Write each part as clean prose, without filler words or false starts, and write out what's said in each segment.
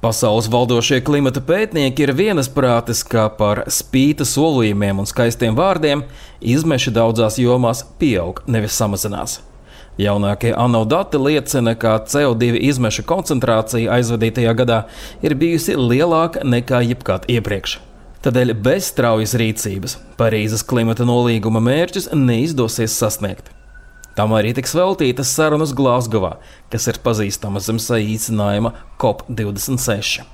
Pasaules valdošie klimata pētnieki ir vienasprātis, ka par spīta solījumiem un skaistiem vārdiem izmeši daudzās jomās pieaug, nevis samazinās. Jaunākie ANO dati liecina, ka CO2 izmeša koncentrācija aizvadītajā gadā ir bijusi lielāka nekā jebkad iepriekš. Tādēļ bez straujas rīcības Parīzes klimata nolīguma mērķus neizdosies sasniegt. Tam arī tiks veltītas sarunas Glazgovā, kas ir pazīstama zem saīsinājuma COP26.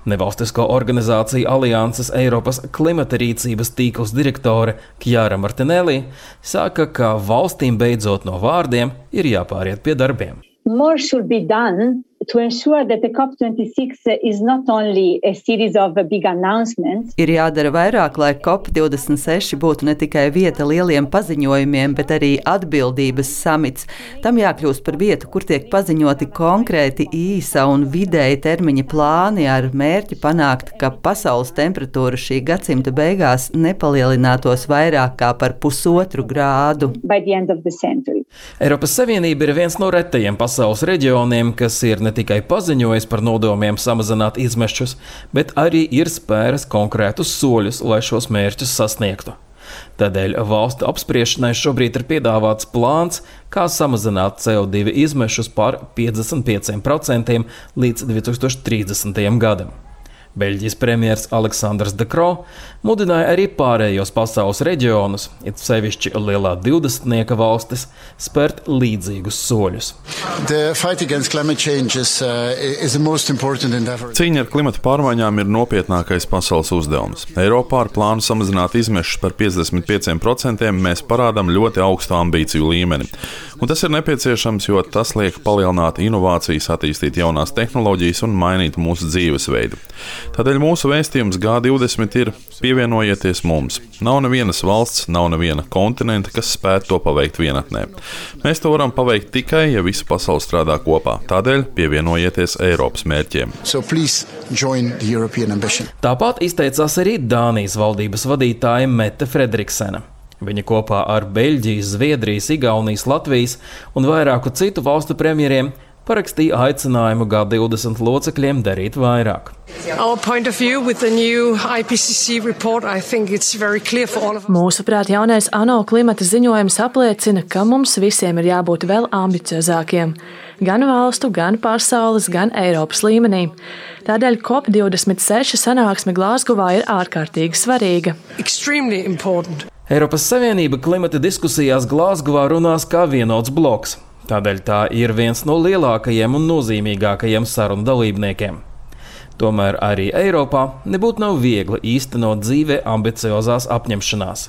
Nevalstisko organizāciju Alianses Eiropas klimata rīcības tīkls direktore Kjāra Martinelli saka, ka valstīm beidzot no vārdiem ir jāpāriet pie darbiem. More should be done to ensure that the COP26 is not only a series of big announcements. Ir jādara vairāk, lai COP26 būtu ne tikai vieta lieliem paziņojumiem, bet arī atbildības samits. Tam jākļūst par vietu, kur tiek paziņoti konkrēti īsa un vidēja termiņa plāni ar mērķi panākt, ka pasaules temperatūra šī gadsimta beigās nepalielinātos vairāk kā par 1,5 grādu. By the end of the century. Eiropas Savienība ir viens no retajiem pasaules reģioniem, kas ir ne tikai paziņojis par nodomiem samazināt izmešus, bet arī ir spēris konkrētus soļus, lai šos mērķus sasniegtu. Tādēļ valstu apspriešanai šobrīd ir piedāvāts plāns, kā samazināt CO2 izmešus par 55% līdz 2030. gadam. Beļģijas premjers Aleksandrs De Croo mudināja arī pārējos pasaules reģionus, it sevišķi lielā 20-nieka valstis, spērt līdzīgus soļus. Cīņa ar klimata pārmaiņām ir nopietnākais pasaules uzdevums. Eiropā ar plānu samazināt izmešus par 55% mēs parādām ļoti augstu ambīciju līmeni. Un tas ir nepieciešams, jo tas liek palielināt inovācijas, attīstīt jaunās tehnoloģijas un mainīt mūsu dzīvesveidu. Tādēļ mūsu vēstījums G20 ir pievienojieties mums. Nav nevienas valsts, nav neviena kontinenta, kas spētu to paveikt vienatnē. Mēs to varam paveikt tikai, ja visa pasaule strādā kopā. Tādēļ pievienojieties Eiropas mērķiem. Tāpat izteicās arī Dānijas valdības vadītāja Mette Fredriksena. Viņa kopā ar Beļģijas, Zviedrijas, Igaunijas, Latvijas un vairāku citu valstu premjeriem parakstīja aicinājumu G20 locekļiem darīt vairāk. Mūsuprāt, jaunais ANO klimata ziņojums apliecina, ka mums visiem ir jābūt vēl ambiciozākiem. Gan valstu, gan pasaules, gan Eiropas līmenī. Tādēļ COP26 sanāksme Glazgovā ir ārkārtīgi svarīga. Eiropas Savienība klimata diskusijās Glazgovā runās kā vienots bloks. Tādēļ tā ir viens no lielākajiem un nozīmīgākajiem sarunu dalībniekiem. Tomēr arī Eiropā nebūtu nav viegli īstenot dzīvē ambiciozās apņemšanās.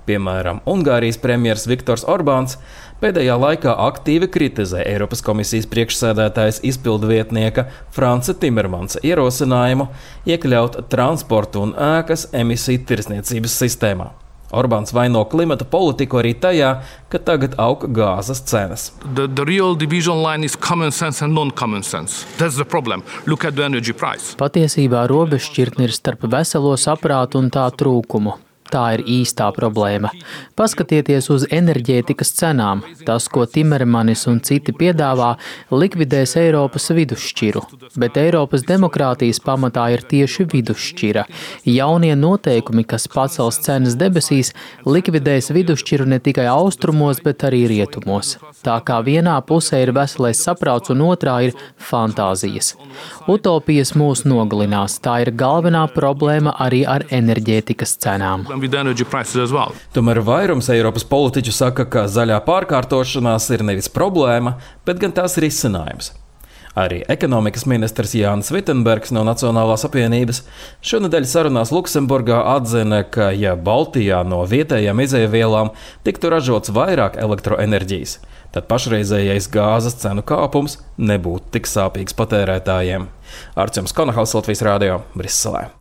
Piemēram, Ungārijas premjers Viktors Orbāns pēdējā laikā aktīvi kritizē Eiropas komisijas priekšsēdētājas izpildvietnieka Franca Timermansa ierosinājumu iekļaut transportu un ēkas emisiju tirdzniecības sistēmā. Orbāns vaino klimata politiku arī tajā, ka tagad aug gāzes cenas. Patiesībā robežšķirtne ir starp veselo saprātu un tā trūkumu. Tā ir īstā problēma. Paskatieties uz enerģētikas cenām. Tas, ko Timermanis un citi piedāvā, likvidēs Eiropas vidusšķiru. Bet Eiropas demokrātijas pamatā ir tieši vidusšķira. Jaunie noteikumi, kas pacels cenas debesīs, likvidēs vidusšķiru ne tikai austrumos, bet arī rietumos. Tā kā vienā pusē ir veselais saprāts un otrā ir fantāzijas. Utopijas mūs nogalinās. Tā ir galvenā problēma arī ar enerģētikas cenām. Tomēr vairums Eiropas politiķu saka, ka zaļā pārkārtošanās ir nevis problēma, bet gan tās risinājums. Arī ekonomikas ministrs Jānis Vitsenbergs no Nacionālās apvienības šonedēļ sarunās Luksemburgā atzina, ka ja Baltijā no vietējām izēvielām tiktu ražots vairāk elektroenerģijas, tad pašreizējais gāzes cenu kāpums nebūtu tik sāpīgs patērētājiem. Arčuns Konahals, Latvijas Rādio, Briselē.